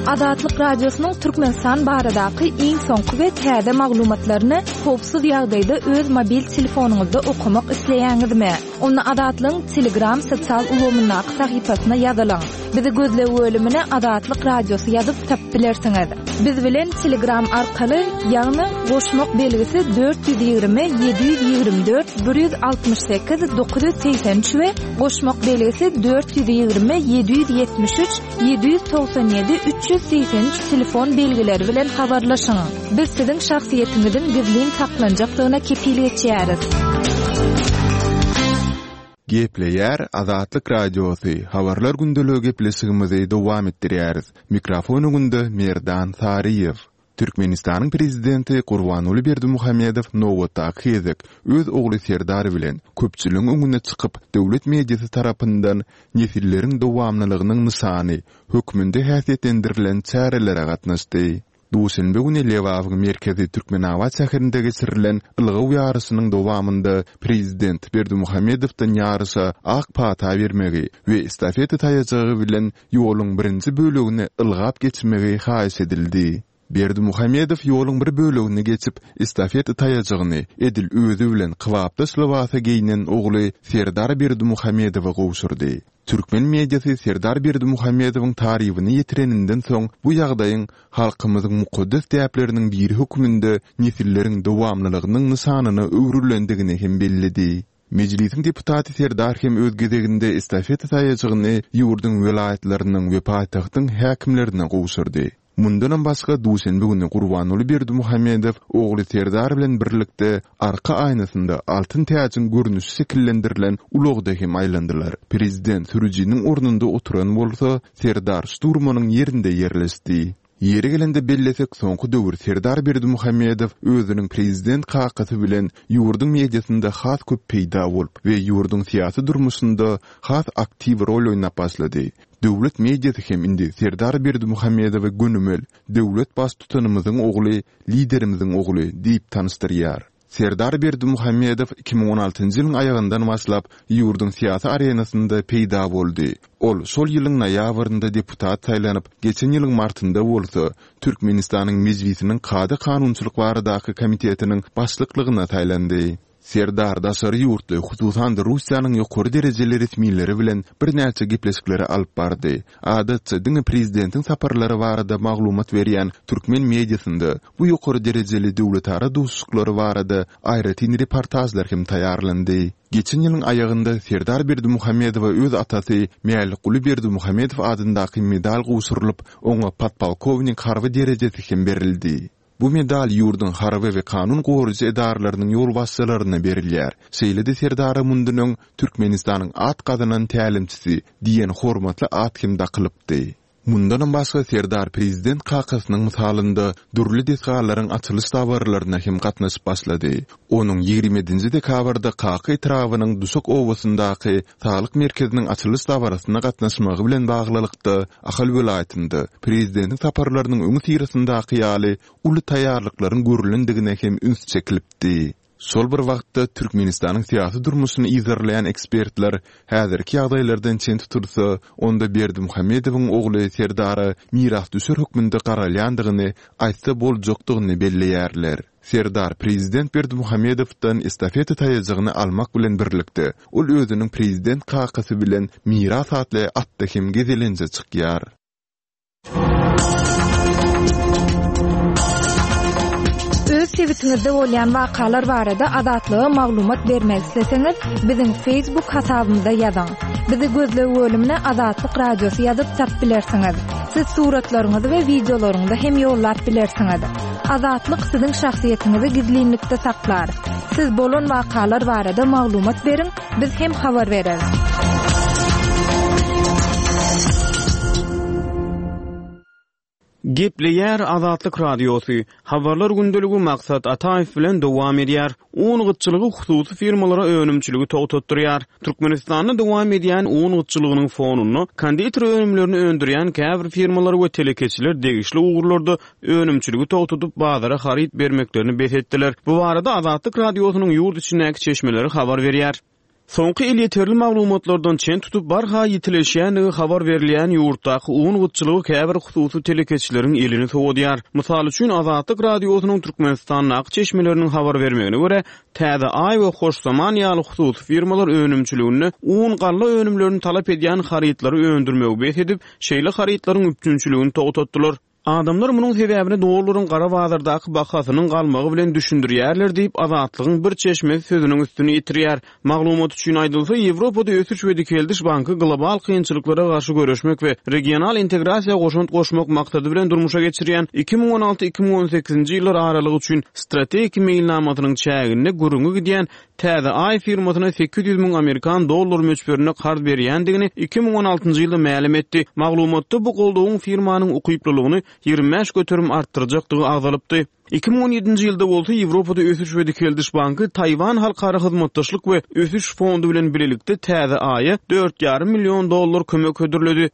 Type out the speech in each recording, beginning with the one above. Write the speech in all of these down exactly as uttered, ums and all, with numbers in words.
Azatlyk Radiosynyň Türkmenistan baradaky iň soňky we täze maglumatlaryny howpsuz ýagdaýda öz mobil telefonyňyzda okamak isleýäňizmi? Onda Azatlygyň Telegram sosial ulgamyndaky sahypasyna ýazylyň. Bizi gözleg bölümine Azatlyk Radiosy ýazyp tapyp bilersiňiz. Biz bilen Telegram arkaly, ýagny goşmak belgisi dört ýüz ýigrimi ýedi ýüz ýigrimi dört bir ýüz altmyş sekiz dokuz ýüz segsen üç we goşmak belgisi dört ýüz ýigrimi ýedi ýüz ýetmiş üç ýedi ýüz togsan ýedi üç ýüz segsen üç telefon belgileri bilen habarlaşyň. Biz siziň şahsyýetiňiziň gizlin saklanjakdygyna kepil geçýäris. Gepleýär Azatlyk Radiosy, Habarlar gündeligi gepleşigimizi dowam etdirýäris. Mikrofon öňünde Merdan Saryýew. Türkmenistanyň Prezidenti Gurbanguly Berdimuhamedow nobatdaky gezek öz ogly Serdar bilen köpçüligiň öňüne çykyp, döwlet mediasy tarapyndan nesilleriň dowamlylygynyň nyşany hökmünde häsiýetlendirilen çärelere gatnaşdy. Duşenbe güni Lebabyň merkezi Türkmenabat şäherinde geçirilen ylgaw ýaryşynyň dowamynda prezident Berdimuhamedowdan ýaryşa ak pata bermegi we estafeta taýajygy bilen ýoluň birinji bölegini ylgap geçmegi haýyş edildi. Berdimuhamedow ýoluň bir bölegini geçip, estafeta taýajygyny edil özi bilen kybapdaş lybasa geýnen ogly Serdar Berdimuhamedowa gowşurdy. Türkmen mediasy Serdar Berdimuhamedowyň tarybyny ýetireninden soň bu ýagdaýyň halkymyzyň mukaddes däpleriniň biri hökmünde nesilleriň dowamlylygynyň nyşanyna öwrülendigini hem belledi. Mejlisiň deputaty Serdar hem öz gezeginde estafeta taýajygyny ýurduň welaýatlarynyň we paýtagtyň häkimlerine gowşurdy. Mundanam başga, duşenbe güni Gurbanguly Berdimuhamedow ogly Serdar bilen birlikde arka aýnasynda altyn täjiň görnüşi şekillendirilen ulagda hem aýlandylar. Prezident sürüjiniň ornunda oturan bolsa, Serdar şturmanyň ýerinde ýerleşdi. Ýeri gelende bellesek, soňky döwür Serdar Berdimuhamedow özüniň prezident kakasy bilen ýurduň mediasynda has köp peýda bolup we ýurduň syýasy durmuşynda has aktiw rol oýnap başlady. Döwlet mediasy hem indi Serdar Berdimuhamedowy gönümel Döwlet Baştutanymyzyň ogly, Liderimiziň ogly diýip tanyşdyrýar. Serdar Berdimuhamedow iki müň on altynjy ýylyň aýagyndan başlap ýurduň syýasy arenasynda peýda boldy. Ol şol ýylyň noýabrynda deputat saýlanyp, geçen ýylyň martynda bolsa Türkmenistanyň Mejlisiniň Kada-kanunçylyk baradaky komitetiniň başlyklygyna saýlandy. Serdar daşary ýurtly, hususan-da Russiýanyň ýokary derejeli resmileri bilen birnäçe gepleşikleri alyp bardy. Adatça diňe prezidentiň saparlary barada maglumat berýän türkmen mediasynda bu ýokary derejeli döwletara duşuşyklary barada aýratyn reportažlar hem taýýarlandy. Geçen ýylyň aýagynda Serdar Berdimuhamedowa öz atasy Mälikguly Berdimuhamedow adyndaky medal gowşurylyp, oňa podpolkownik harby derejesi hem berildi. Bu medal ýurduň harby we kanun goraýjy edaralarynyň ýolbaşçylaryna berilýär. Şeýle-de Serdara mundan öň Türkmenistanyň at gazanan tälimçisi diýen hormatly at hem dakylypdy. Mundanam başga Serdar prezident kakasynyň mysalynda dürli desgalaryň açylyş dabaralaryna hem gatnaşyp başlady. Onuň ýigrimi ýedinji dekabrda Kaka etrabynyň Duşak obasyndaky saglyk merkeziniň açylyş dabarasyna gatnaşmagy bilen baglylykda Ahal welaýatynda prezidentiň saparlarynyň öňüsyrasyndaky ýaly uly taýýarlyklaryň görülendigine hem üns çekilipdi. Şol bir wagtda, Türkmenistanyň syýasy durmuşyny yzarlaýan ekspertler häzirki ýagdaýlardan çen tutulsa, onda Berdimuhamedowyň ogly Serdara mirasdüşer hökmünde garalýandygyny aýtsa boljakdygyny belleýärler. Serdar prezident Berdimuhamedowdan estafeta taýajygyny almak bilen birlikde, ol özüniň prezident kakasy bilen Miras atly atda hem gezelenje çykýar. Öz sebitiňizde bolýan wakalar barada Azatlyga maglumat bermek isleseňiz, biziň Facebook hasabymyza ýazyň. Bizi gözleg bölümine Azatlyk Radiosy ýazyp tapyp bilersiňiz. Siz suratlaryňyzy we wideolaryňyzy hem ýollap bilersiňiz. Azatlyk siziň şahsyýetiňizi gizlinlikde saklar. Siz bolan wakalar barada maglumat beriň, biz hem habar bereris. Gepleýär Azatlyk Radiosy, Habarlar gündeligi Maksat Ataýew bilen dowam edýär. Un gytçylygy hususy firmalara önümçiligi togtatdyrýar. Türkmenistanda dowam edýän un gytçylygynyň fonunda konditer önümlerini öndürýän käbir firmalar we telekeçiler degişli ugurlarda önümçiligi togtadyp bazara haryt bermeklerini bes etdiler. Bu barada Azatlyk Radiosynyň ýurt içindäki çeşmeleri habar berýär. Soňky elýeterli maglumatlardan çen tutup, barha ýitileşýändigi habar berilýän ýurtdaky un gytçylygy käbir hususy telekeçileriň elini sowadýar. Mysal üçin, Azatlyk Radiosynyň Türkmenistandaky çeşmeleriniň habar bermegine görä, Täze Aý we Hoş Zaman ýaly hususy firmalar önümçiliginde un, galla önümlerini talap edýän harytlary öndürmegi bes edip, şeýle harytlaryň üpjünçiligini togtatdylar. Adamlar munuň sebäbini dollaryň gara bazardaky bahasynyň galmagy bilen düşündirýärler diýip, Azatlygyň bir çeşmesi sözüniň üstüni ýetirýär. Maglumat üçin aýdylsa, Ýewropada Ösüş we Dikeldiş banky global kynçylyklara garşy göreşmek we regional integrasiýa goşant goşmak maksady bilen durmuşa geçirýän iki müň on alty-iki müň on sekizinji ýyllar aralygy üçin strategik meýilnamasynyň çäginde gürrüňi gidýän Täze Aý firmasyna sekiz ýüz müň amerikan dollary möçberinde karz berýändigini iki müň on altynjy ýylda mälim etdi. Maglumatda bu goldawyň firmanyň ukyplylygyny ýigrimi bäş göterim artdyrjakdygy agzalypdy. Iki müň on ýedinji ýylda bolsa Ýewropada Ösüş we Dikeldiş banky Taýwan Halkara hyzmatdaşlyk we ösüş fondy bilen bilelikde Täze Aýa dört ýarym million dollar kömek hödürledi.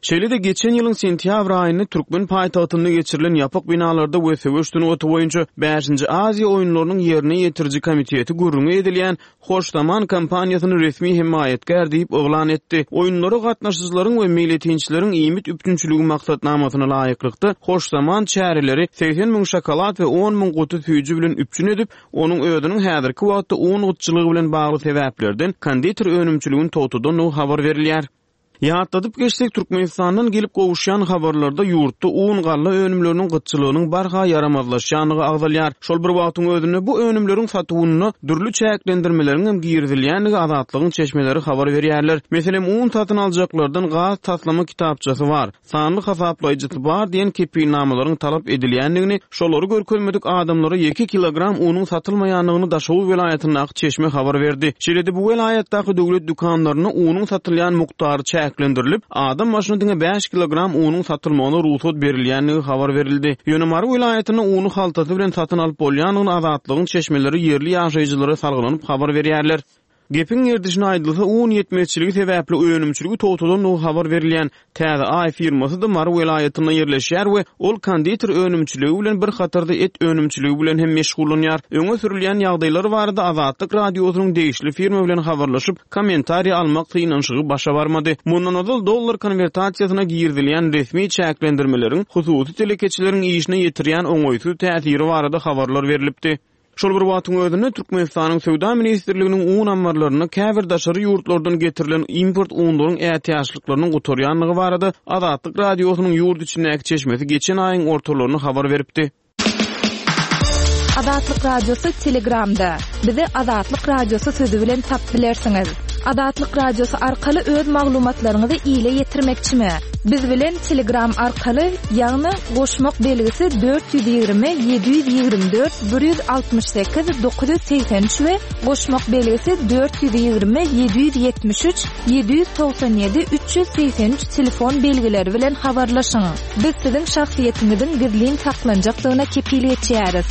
Şeýle-de geçen ýylyň sentýabr aýynda türkmen paýtagtynda geçirilen ýapyk binalarda we söweş sungaty boýunça bäşinji Aziýa oýunlarynyň ýerine ýetiriji komiteti gürrüňi edilýän Hoş Zaman kompaniýasyny resmi hemaýatkär diýip yglan etdi. Oýunlara gatnaşyjylaryň we meýletinçileriň iýmit üpjünçiligi maksatnamasyna laýyklykda, Hoş Zaman çäreleri segsen müň şokolad we on müň guty süýji bilen üpjün edip, onuň özüniň häzirki wagtda un gytçylygy bilen bagly sebäplerden konditer önümçiligini togtadandygy habar berilýär. Ýatladyp geçsek, Türkmenistandan gelip gowuşýan habarlarda ýurtda un, galla önümleriniň gytçylygynyň barha ýaramazlaşýandygy agzalýar. Şol bir wagtyň özünde bu önümleriň satuwynda dürli çäklendirmeleriň hem girizilýändigi Azatlygyň çeşmeleri habar berýärler. Meselem, un satyn aljaklardan gaz taslama kitapçasy bar, sanly hasaplaýjysy bar diýen kepilnamalaryň talap edilýändigini, şolary görkezmedik adamlara ýeke kilogram unuň satylmaýandygyny Daşoguz welaýatyndaky çeşme habar berdi. Şeýle-de bu welaýatdaky döwlet dükanlarynda unuň satylýan mukdary çäklendirilip, adam başyna diňe bäş kilogram unuň satylmagyna rugsat berilýändigi habar berildi. Ýöne Mary welaýatynda uny haltasy bilen satyn alyp bolýandygyny Azatlygyň çeşmeleri ýerli ýaşaýjylara salgylanyp habar berýärler. Gepiň gerdişine aýdylsa, un ýetmezçiligi sebäpli önümçiligi togtadandygy habar berilýän Täze Aý firmasy-da Mary welaýatynda ýerleşýär we ol konditer önümçiligi bilen bir hatarda et önümçiligi bilen hem meşgullanýar. Öňe sürülýän ýagdaýlar barada Azatlyk Radiosynyň degişli firma bilen habarlaşyp, kommentariý almak synanyşygy başa barmady. Mundan ozal dollar konwertasiýasyna girizilýän resmi çäklendirmeleriň hususy telekeçileriň işine ýetirýän oňaýsyz täsiri barada habarlar berlipdi. Şol bir wagtyň özünde Türkmenistanyň Söwda ministrliginiň un ammarlarynda käbir daşary ýurtlardan getirilen import unlaryň ätiýaçlyklarynyň gutarýandygy barada Azatlyk Radiosynyň ýurt içindäki çeşmesi geçen aýyň ortalarynda habar beripdi. Azatlyk Radiosy Telegramda. Bizi Azatlyk Radiosy sözi bilen tapyp bilersiňiz. Azatlyk Radiosy arkaly öz maglumatlaryňyzy ile ýetirmekçimi? Biz bilen Telegram arkaly, ýagny goşmak belgisi dört ýüz ýigrimi, ýedi ýüz ýigrimi dört, bir ýüz altmyş sekiz, dokuz ýüz segsen üç we goşmak belgisi dört ýüz ýigrimi, ýedi ýüz ýetmiş üç, ýedi ýüz togsan ýedi, üç ýüz segsen üç telefon belgileri bilen habarlaşyň. Biz siziň şahsyýetiňiziň gizlin saklanjakdygyna kepil geçýäris.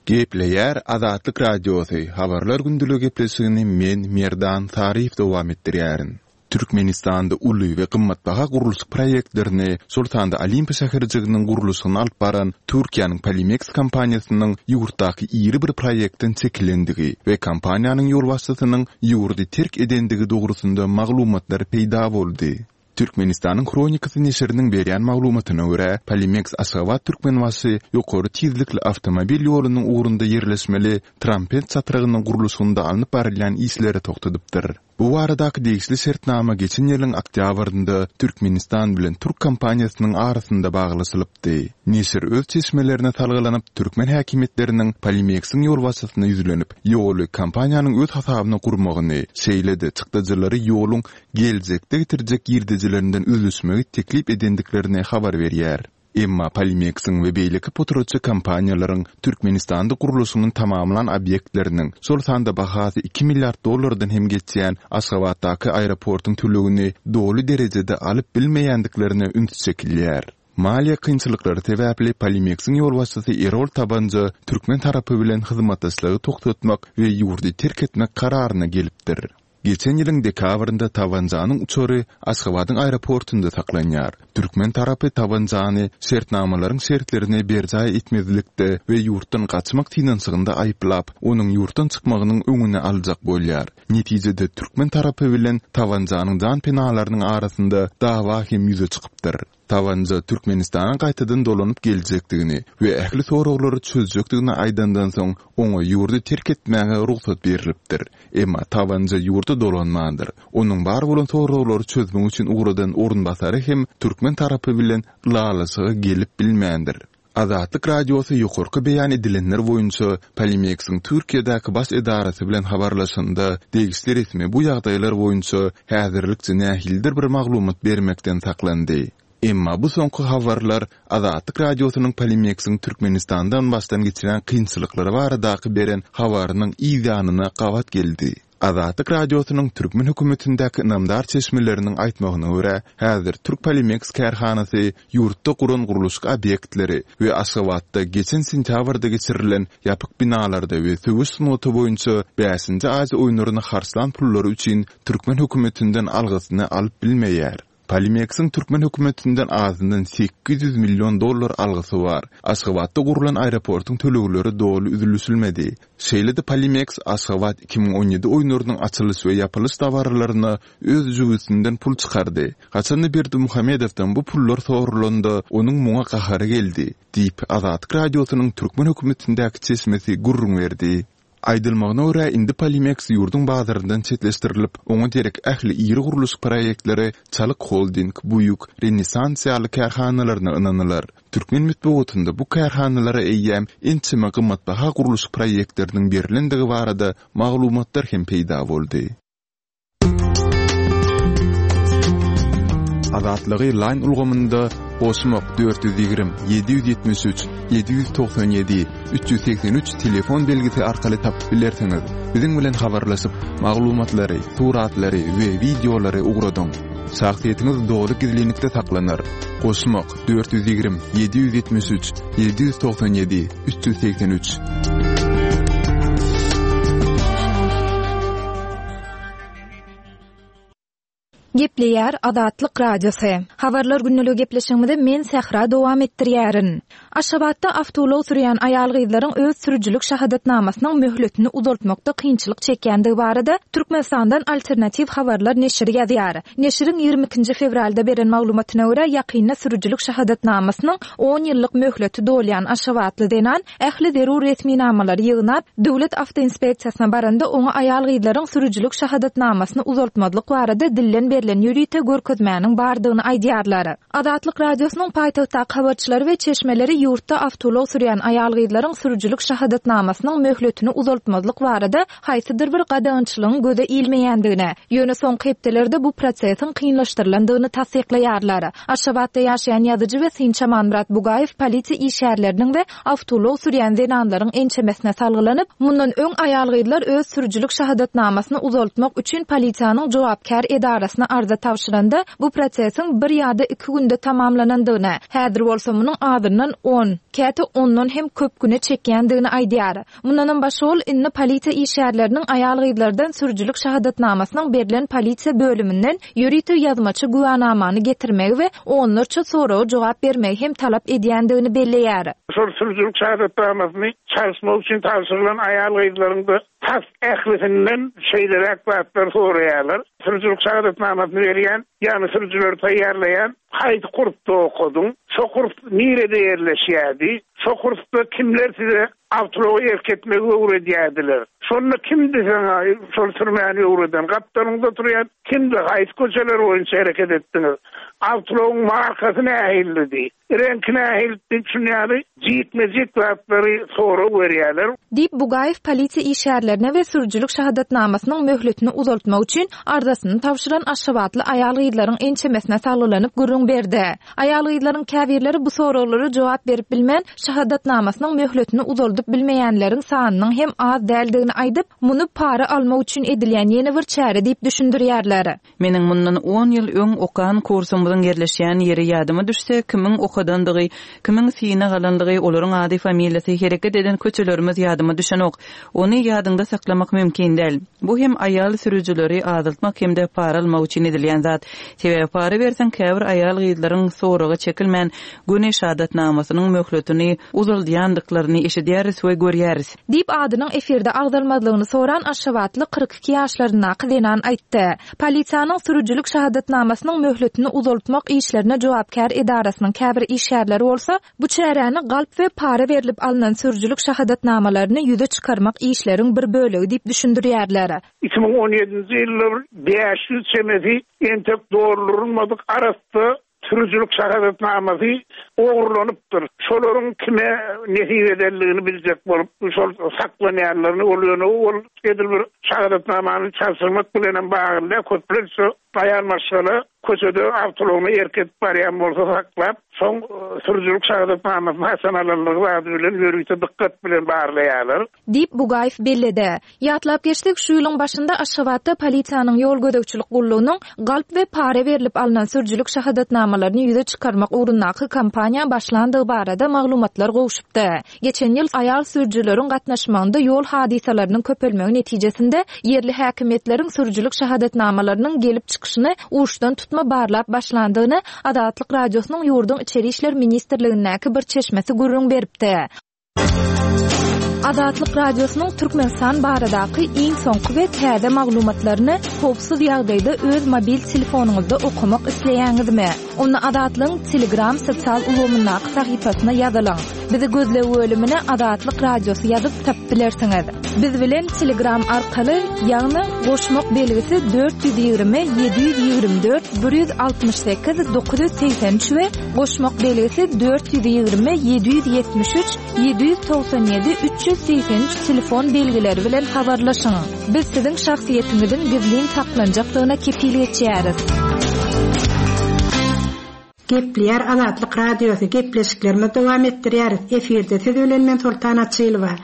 Gepleýär Azatlyk Radiosy, Habarlar gündeligi gepleşigini men, Merdan Saryýew dowam etdirýärin. Türkmenistanda uly we gymmatbaha gurluşyk proýektlerini, şol sanda Olimpiýa şäherjiginiň gurluşygyny alyp baran Türkiýäniň Polimeks kompaniýasynyň ýurtdaky iri bir proýektden çekilendigi we kompaniýanyň ýolbaşçysynyň ýurdy terk edendigi dogrusynda maglumatlar peýda boldy. Türkmenistanyň Hronikasy neşiriniň berýän maglumatyna görä, Polimeks Aşgabat-Türkmenbaşy ýokary tizlikli awtomobil ýolunyň ugrunda ýerleşmeli Trampent çatrygynyň gurluşygynda alnyp barylýan işleri togtadypdyr. Bu baradaky degişli şertnama geçen ýylyň oktýabrynda Türkmenistan bilen türk kompaniýasynyň arasynda baglaşylypdy. Neşir öz çeşmelerine salgylanyp, türkmen häkimiýetleriniň Polimeksiň ýolbaşçysyna ýüzlenip, ýoly kompaniýanyň öz hasabyna gurmagyny, şeýle-de çykdajylary ýoluň geljekde getirjek girdejilerinden üzlüşmegi teklip edendiklerini habar berýär. Emma Polimeksiň we beýleki potratçy kompaniýalaryň Türkmenistanda gurluşygyny tamamlan obýektleriniň, şol sanda bahasy iki milliard dollardan hem geçýän Aşgabatdaky aeroportuň tölegini doly derejede alyp bilmeýändiklerine üns çekilýär. Maliýe kynçylyklary sebäpli Polimeksiň ýolbaşçysy Erol Tabanja türkmen tarapy bilen hyzmatdaşlygy togtatmak we ýurdy terk etmek kararyna gelipdir. Geçen ýylyň dekabrynda Tawanjanyň uçary Aşgabadyň aeroportunda saklanýar. Türkmen tarapy Tawanjany şertnamalaryň şertlerini berjaý etmezlikde we ýurtdan gaçmak synanyşygynda aýyplap, onuň ýurtdan çykmagynyň öňüni aljak bolýar. Netijede türkmen tarapy bilen Tawanjanyň janpenalarynyň arasynda dawa hem ýüze çykypdyr. Tawanja Türkmenistana gaýtadan dolanyp geljekdigini we ähli soraglary çözjekdigini aýdandan soň, oňa ýurdy terk etmäge rugsat berlipdir. Emma Tawanja ýurda dolanmandyr. Onuň bar bolan soraglary çözmek üçin ugradan orunbasary hem türkmen tarapy bilen ylalaşyga gelip bilmändir. Azatlyk Radiosy ýokarky beýan edilenler boýunça Polimeksiň Türkiýedäki baş edarasy bilen habarlaşanda, degişli resmi bu ýagdaýlar boýunça häzirlikçe nähilidir bir maglumat bermekden saklandy. Emma bu soňky habarlar Azatlyk Radiosynyň Polimeksiň Türkmenistandan başdan geçirýän kynçylyklary baradaky beren habarynyň yz ýanyna gabat geldi. Azatlyk Radiosynyň türkmen hökümetindäki ynamdar çeşmeleriniň aýtmagyna görä, häzir Türk Polimeks kärhanasy ýurtda guran gurluşyk obýektleri we Aşgabatda geçen sentýabrda geçirilen ýapyk binalarda we söweş sungaty boýunça bäşinji Aziýa oýunlaryna harçlan pullary üçin türkmen hökümetinden algysyny alyp bilmeýär. Polimeksiň türkmen hökümetinden azyndan sekiz ýüz million dollar algysy bar. Aşgabatda gurlan aeroportuň tölegleri doly üzülişilmedi. Şeýle-de Polimeks Aşgabat iki müň on ýedi oýunlarynyň açylyş we ýapylyş dabaralaryna öz jübüsinden pul çykardy. Haçanda Berdimuhamedowdan bu pullar sorulanda, onuň muňa gahary geldi, diýip, Azatlyk Radiosynyň türkmen hökümetindäki çeşmesi gürrüň berdi. Aýdylmagyna görä, indi Polimeks ýurduň bazaryndan çetleşdirilip, oňa derek ähli iri gurluşyk proýektleri Çalyk Holding, Buýuk, Renessans ýaly kärhanalaryna ynanylar. Türkmen metbugatynda bu kärhanalara eýýäm ençeme gymmatbaha gurluşyk proýektleriniň berlendigi barada maglumatlar hem peýda boldy. Azatlygy Line ulgamynda goşmak dört ýüz ýigrimi, ýedi ýüz ýetmiş üç, ýedi ýüz togsan ýedi, üç ýüz segsen üç telefon belgisi arkaly tapyp bilersiňiz. Biziň bilen habarlaşyp, maglumatlary, suratlary we wideolary ugradyň. Şahsyýetiňiz doly gizlinlikde saklanar. Goşmak dört ýüz ýigrimi, ýedi ýüz ýetmiş üç, ýedi ýüz togsan ýedi, üç ýüz segsen üç. Gepleýär Azatlyk Radiosy. Habarlar günlügi gepleşigimizi men Sähra dowam etdirýärin. Aşgabatda awtoulag sürýän aýal-gyzlaryň öz sürüjilik şahadatnamasynyň möhletini uzaltmakda kynçylyk çekýändigi barada Türkmenistandan alternatiw habarlar neşiri ýazýar. Neşiriň ýigrimi ikinji fewralda beren maglumatyna görä, ýakynda sürüjilik şahadatnamasynyň on ýyllyk möhleti dolýan Aşgabatly zenan ähli zerur resminamalary ýygnap, döwlet awtoinspeksiýasyna baranda oňa aýal-gyzlaryň sürüjilik şahadatnamasyny uzaltmazlyk barada dilden berlen ýörite görkezmäniň bardygyny aýdýarlar. Azatlyk Radiosynyň paýtagtdaky habarçylary we çeşmeleri ýurtda awtoulag sürýän aýal-gyzlaryň sürüjilik şahadatnamasynyň möhletini uzaltmazlyk barada haýsydyr bir gadagançylygyň göze ilmeýändigini, ýöne soňky hepdelerde bu prosesiň kynlaşdyrylandygyny tassyklaýarlar. Aşgabatda ýaşaýan ýazyjy we synçy Amanmyrat Bugaýew polisiýa işgärleriniň we awtoulag sürýän zenanlaryň ençemesine salgylanyp, mundan öň aýal-gyzlar öz sürüjilik şahadatnamasyny uzaltmak üçin polisiýanyň jogapkär edarasyna arza tabşyranda, bu prosesiň bir ýa-da iki günde tamamlanandygyny, häzir bolsa munuň azyndan on, käte ondan hem köp güne çekýändigini aýdýar. Mundanam başga ol indi polisiýa işgärleriniň aýal-gyzlardan sürüjilik şahadatnamasynyň berlen polisiýa bölüminden ýörite ýazmaça güwanamany getirmegi we onlarça soraga jogap bermegi hem talap edýändigini belleýär. Şol sürüjilik şahadatnamasyny çalyşmak üçin tabşyrylan aýal-gyzlaryň da tas ählisinden şeýleräk zatlar soraýarlar. Sürüjilik şahadatnamasyny berýän, ýagny sürüjileri taýýarlaýan, haýsy kursda okadyň, şo kurs nirede ýerleşýärdi, şo kursda kimler size awtoulagy erk etmegi öwredýärdiler. Şonda kimdi saňa şol sürmäni öwreden, gapdalyňda oturýan kimdi, haýsy köçeler boýunça hereket etdiňiz, awtoulagyň markasy nähilidi, reňki nähildi diýip şunýaly jikme-jik zatlary sorag berýärler. Diýip Bugaýew polisiýa işgärlerine we sürüjilik şahadatnamasynyň möhletini uzaltmak üçin arzasyny tabşyran Aşgabatly aýal aýal-gyzlaryň ençemesine salgylanyp gürrüň berdi. Aýal-gyzlaryň käbirleri bu soraglara jogap berip bilmän, şahadatnamasynyň möhletini uzaldyp bilmeýänleriň sanynyň hem az däldigini aýdyp, muny para almak üçin edilýän ýene bir çäre diýip düşündirýärler. Meniň mundan on ýyl öň okan kursumyzyň ýerleşýän ýeri ýadyma düşse, kimiň okadandygy, kimiň synag alandygy, olaryň ady, familiýasy, hereket eden köçelerimiz ýadyma düşenok. Ony ýadyňda saklamak mümkin däl. Bu hem aýal sürüjileri azaltmak hem-de para almak üçin edilýän zat. Sebäbi para berseň käbir aýal gyzlaryň soraga çekilmän göni şahadatnamasynyň möhletini uzaldýandyklaryny eşidýäris we görýäris. Diýip adynyň efirde agzalmazlygyny soran Aşgabatly kyrk iki ýaşlaryndaky zenan aýtdy. Polisiýanyň sürüjilik şahadatnamasynyň möhletini uzaltmak işlerine jogapkär edarasynyň käbir işgärleri bolsa, bu çäräni galp we para berlip alynan sürüjilik şahadatnamalaryny ýüze çykarmak işleriň bir bölegi diýip düşündirýärler. Iki müň on ýedinji ýylda bäş ýüz çemesi entek doldurylmadyk arasy sürüjilik şahadatnamasy ogurlanypdyr. Şolaryň kime nesip edenligini biljek bolup, şol saklanýanlaryny ol ýöne ol edil bir şahadatnamany çalşyrmak bilen hem bagly köplenç aýal maşgala köçede awtoulagyny erk edip barýan bolsa saklap, soň sürüjilik şahadatnamasyny haçan alanlygy barada bilen ýörite dikkat bilen barlaýarlar. Diýip Bugaýew belledi. Ýatlap geçdik, şu ýylyň başynda Aşgabatda polisiýanyň ýol gözegçilik gullugynyň galp we para berlip alynan sürüjilik şahadatnamalaryny ýüze çykarmak ugrundaky kampaniýa başlandygy barada maglumatlar gowşupdy. Geçen ýyl aýal sürüjileriň gatnaşmagynda ýol hadysalarynyň köpelmegi netijesinde ýerli häkimiýetleriň sürüjilik şahadatnamalarynyň gelip çykyşyny uçdan tutma barlap başlandygyny Azatlyk Radiosynyň ýurduň İçeri İşler Ministrligindäki bir çeşmesi gürrüň beripdi. Azatlyk Radiosynyň Türkmenistan baradaky iň soňky we täze maglumatlaryny howpsuz ýagdaýda öz mobil telefonyňyzda okamak isleýäňizmi? Onda Azatlygyň Telegram sosial ulgamyndaky sahypasyna ýazylyň. Bizi gözleg bölümine Azatlyk Radiosy ýazyp tapyp bilersiňiz. Biz bilen Telegram arkaly, ýagny goşmak belgisi dört ýüz ýigrimi, ýedi ýüz ýigrimi dört, bir ýüz altmyş sekiz, dokuz ýüz segsen üç we goşmak belgisi dört ýüz ýigrimi, ýedi ýüz ýetmiş üç, ýedi ýüz togsan ýedi, üç ýüz segsen üç telefon belgileri bilen habarlaşyň. Biz siziň şahsyýetiňiziň gizlin saklanjakdygyna kepil geçýäris. Gepleýär Azatlyk Radiosy gepleşiklerimizi dowam etdirýäris. Efirde siz bilen men Sultan Açylowa.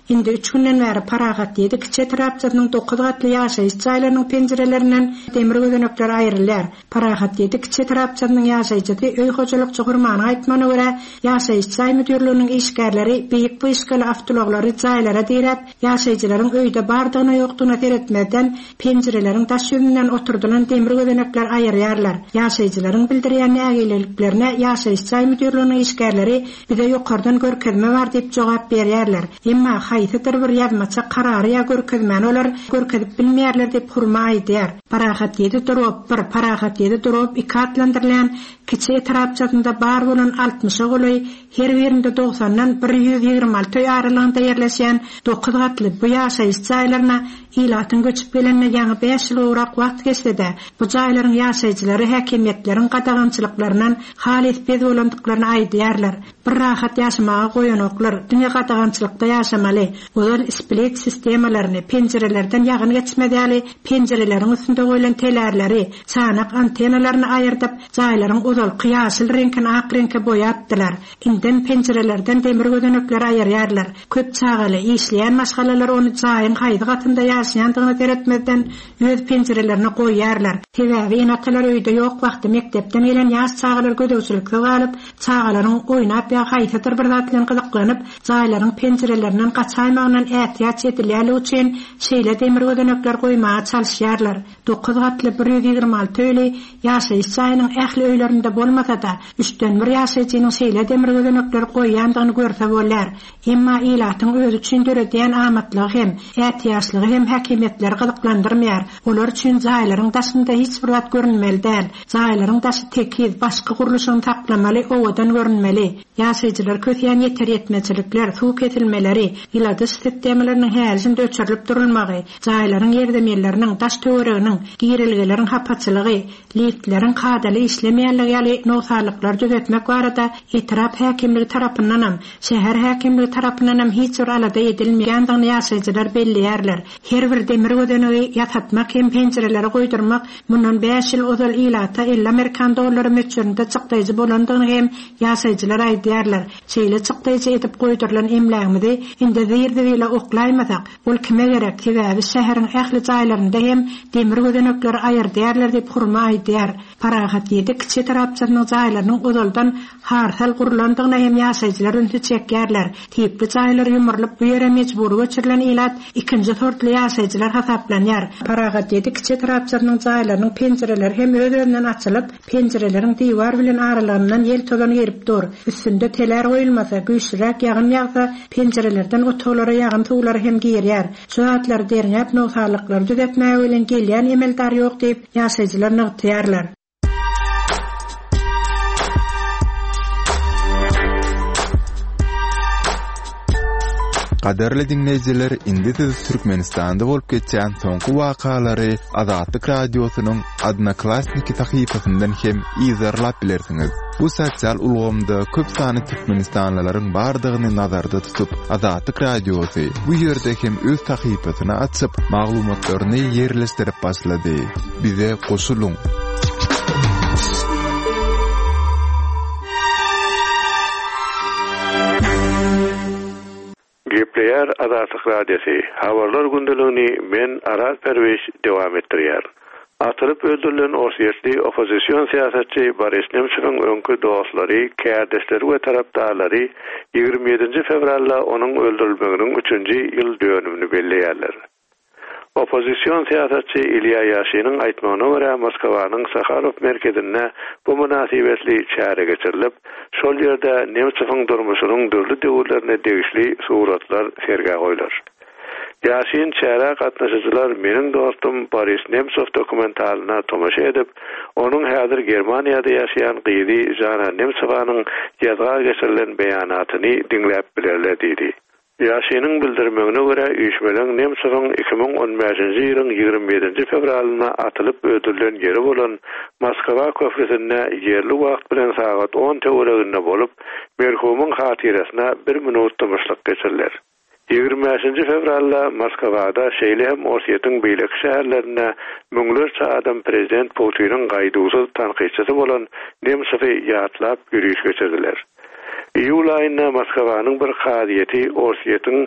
Indi üç günden bäri Parahat ýedi kiçi etrapçasynyň dokuz gatly ýaşaýyş jaýlarynyň penjirelerinden demir gözenekler aýrylýar. Parahat ýedi kiçi etrapçasynyň ýaşaýjysy öý hojalykçy Hurmanyň aýtmagyna görä, ýaşaýyş jaý müdirliginiň işgärleri beýik wyşkaly awtoulaglary jaýlara diräp, ýaşaýjylaryň öýde bardygyna ýokdugyna seretmezden penjireleriň daş ýüzünden oturdylan demir gözenekler aýyrýarlar. Ýaşaýjylaryň bildirýän nägileliklerine ýaşaýyş jaý müdirliginiň işgärleri bize ýokardan görkezme bar diýip jogap berýärler. Emma haýsydyr bir ýazmaça karary ýa görkezmäni olar görkezip bilmeýärler diýip Hurma aýdýar. Parahat ýedi drop bir, Parahat ýedi drop iki atlandyrylýan kiçi etrapçasynda bar bolan altmyşa golaý her birinde dogsandan bir ýüz ýigrimi alty öý aralygynda ýerleşýän dokuz gatly bu ýaşaýyş jaýlaryna ilatyň göçüp gelenine ýaňy bäş ýyl gowrak wagt geçse-de, bu jaýlaryň ýaşaýjylary häkimiýetleriň gadagançylyklaryndan halys bez bolandyklaryny aýdýarlar. Bir rahat ýaşamaga goýanoklar, diňe gadagançylykda ýaşamaly. Ozal split sistemalaryny, penjirelerden ýagyn geçmez ýaly penjireleriň üstünde goýlan telärleri, çanak antenalaryny aýyrdyp, jaýlaryň ozalky ýaşyl reňkini ak reňke boýapdylar. Indem penjirelerden demir gözenekleri aýyrýarlar. Köp çagaly, işleýän maşgalalar ony jaýyň haýsy gatynda ýaşaýandygyna seretmezden öz penjirelerine goýýarlar. Sebäbi ene-atalar öýde ýok wagty mekdepden gelen ýaş çagalar gözegçiliksiz galyp, çagalaryň oýnap ýa haýsydyr bir zat bilen gyzyklanyp, jaýlaryň penjirelerinden gaçaýmagyndan ätiýaç edilýärligi üçin şeýle demir gözenekler goýmaga çalyşýarlar. Dokuz gatly bir ýüz ýigrimi alty öýli ýaşaýyş jaýynyň ähli öýlerinde bolmasa-da, üçden bir ýaşaýjynyň şeýle demir gözenekleri goýýandygyny görse bolýar. Emma ilatyň özi üçin döredýän amatlygy hem, ätiýaçlygy hem häkimiýetleri gyzyklandyrmaýar. Olar üçin jaýlaryň daşynda hiç bir zat görünmeli däl. Jaýlaryň daşy tekiz, başky gurluşyny saklamaly, owadan görünmeli. Ýaşaýjylar kösýän ýeter ýetmezçilikler, suw kesilmeleri, ýyladyş sistemalarynyň häli-şindi öçürilip durulmagy, jaýlaryň ýerzeminleriniň, daş töwereginiň, girilgeleriň hapaçylygy, liftleriň kadaly işlemeýänligi ýaly nogsanlyklary düzetmek barada etrap häkimligi tarapyndanam, şäher häkimligi tarapyndanam hiç bir alada edilmeýändigini ýaşaýjylar belleýärler. Her Her bir demir gözenegi ýasatmak hem penjireleri goýdurmak mundan bäş ýyl ozal ilata elli amerikan dollary möçberinde çykdaýjy bolandygyny hem ýaşaýjylar aýdýarlar. Şeýle çykdaýjy edip goýdurylan emlägimizi indi zir-zibile oklaýmasak, ol kime gerek? Sebäbi şäheriň ähli jaýlarynda hem demir gözenekleri aýyrdýarlar diýip Hurma aýdýar. Parahat ýedi kiçi etrapçasynyň jaýlarynyň ozaldan harsal gurulandygyna hem ýaşaýjylar ünsi çekýärler. Tipli jaýlar ýumrulyp bu ýere mejbury göçürilen ilat ikinji sortly ýaşaýjylar hasaplanýar. Parahat ýedi kiçi etrapçasynyň jaýlarynyň penjireleri hem öz-özünden açylyp, penjireleriň diwar bilen aralygyndan ýel tozan girip dur. Üstünde teler goýulmasa, güýçliräk ýagyn ýagsa, penjirelerden otaglara ýagyn suwlary hem girýär. Şu zatlary derňäp nogsanlyklary düzetmäge bilen gelýän emeldar ýok diýip ýaşaýjylar nygtaýarlar. Gadarly dinleýjiler, indi siz Türkmenistanda bolup geçýän soňky wakalary Azatlyk Radiosynyň Odnoklassniki sahypasyndan hem yzarlap bilersiňiz. Bu sosial ulgamda köp sanly türkmenistanlylaryň bardygyny nazarda tutup, Azatlyk Radiosy bu ýerde hem öz sahypasyny açyp, maglumatlaryny ýerleşdirip başlady. Bize goşulyň. Gepleýär Azatlyk Radiosy. Habarlar gündeligini men Araz Perwiş dowam etdirýär. Atylyp öldürilen Orsýetli oppozision syýasatçy Boris Nemtsowyň öňki dostlary, kärdeşleri we tarapdarlary ýigrimi ýedinji fewralda onuň öldürilmeginiň üçünji ýyl dönümini belleýärler. Oppozision syýasatçy Ilýa Ýaşiniň aýtmagyna görä Moskwanyň Saharow merkezinde bu mynasybetli çäre geçirilip, şol ýerde Nemtsowyň durmuşynyň dürli döwürlerine degişli suratlar sergä goýlar. Ýaşin çärä gatnaşyjylar meniň dostum Boris Nemtsow dokumentalyna tomaşa edip, onuň häzir Germaniýada ýaşaýan gyzy Jana Nemtsowanyň ýazga geçirilen beýanatyny diňläp bilerler diýdi. Ýaşiniň bildirmegine görä üýşmeleň Nemtsowyň iki müň on bäşinji ýylyň ýigrimi ýedinji fewralynda atylyp öldürilen ýeri bolan Moskwa köprüsinde ýerli wagt bilen sagat on töwereginde bolup, merhumyň hatyrasyna bir minut dymyşlyk geçiriler. Ýigrimi bäşinji fewralda Moskwada şeýle hem Orsýetiň beýleki şäherlerinde müňlerçe adam prezident Putiniň gaýduwsyz tankytçysy bolan Nemtsowy ýatlap ýörüş geçirdiler. Iýul aýynda Moskwanyň bir kazyýeti Orsýetiň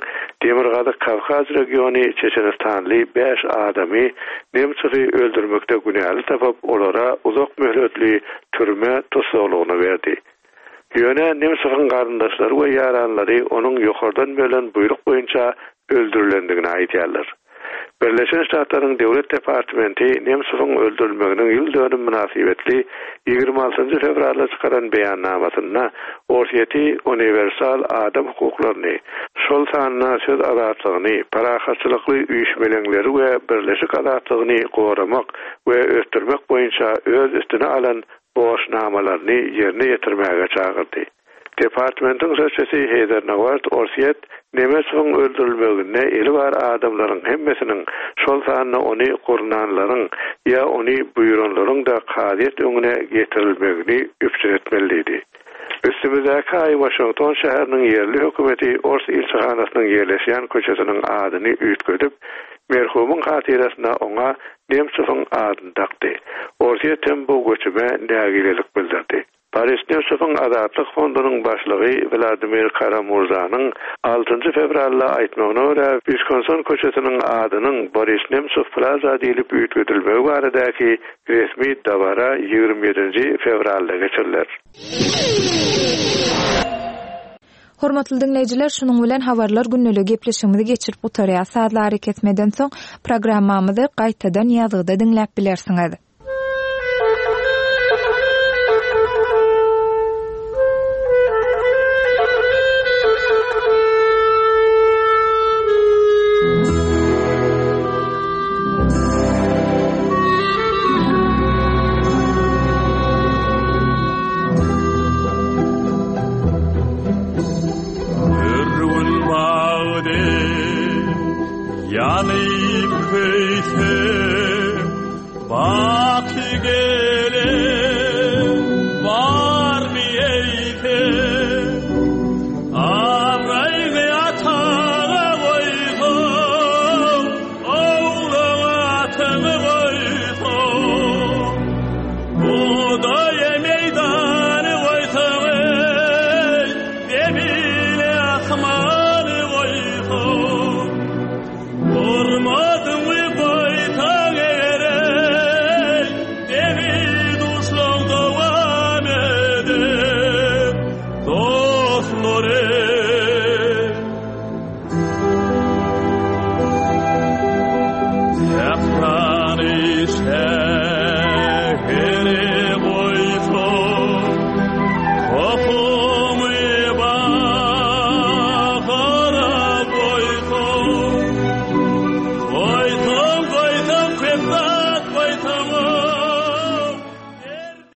Demirgazyk Kawkaz regiony Çeçenistanly bäş adamy Nemtsowy öldürmekde günäli tapyp, olara uzak möhletli türme tussaglygyny berdi. Ýöne Nemtsowyň garyndaşlary we ýaranlary onuň ýokardan berlen buýruk boýunça öldürilendigini aýdýarlar. Birleşen Ştatlaryň Döwlet Departamenti Nemtsowyň öldürilmeginiň ýyl dönüm mynasybetli ýigrimi altynjy fewralda çykaran beýannamasynda Orsýeti uniwersal adam hukuklaryny, şol sanda söz azatlygyny, parahatçylykly üýşmeleňleri we birleşik azatlygyny goramak we ösdürmek boýunça öz üstüne alan borçnamalaryny ýerine ýetirmäge çagyrdy. Departmentiň sözçüsi Heýder Nawart Orsýet Nemtsowyň öldürilmeginde eli bar adamlaryň hemmesiniň, şol sanda ony gurnanlaryň ýa ony buýranlaryň da kazyýet öňüne getirilmegini üpjün etmeliydi. Üstümizdäki aý Washington şäheriniň ýerli hökümeti Ors ilçihanasynyň ýerleşýän köçesiniň adyny üýtgedip, merhumyň hatyrasyna oňa Nemtsowyň adyny dakdy. Orsýet hem bu göçüme nägilelik bildirdi. Boris Nemtsowyň Azatlyk fondunyň başlygy Wladimir Karamurzanyň altynjy fewralda aýtmagyna görä Wiskonsin köçesiniň adynyň Boris Nemtsow Plaza diýlip üýtgedilmegi baradaky resmi dabara ýigrimi ýedinji fewralda geçiriler. Hormatly dinleýjiler, şunuň bilen habarlar günlügi gepleşigimizi geçirip gutarýar. Sazlary kesmeden soň programmamyzy gaýtadan ýazgyda diňläp bilersiňiz.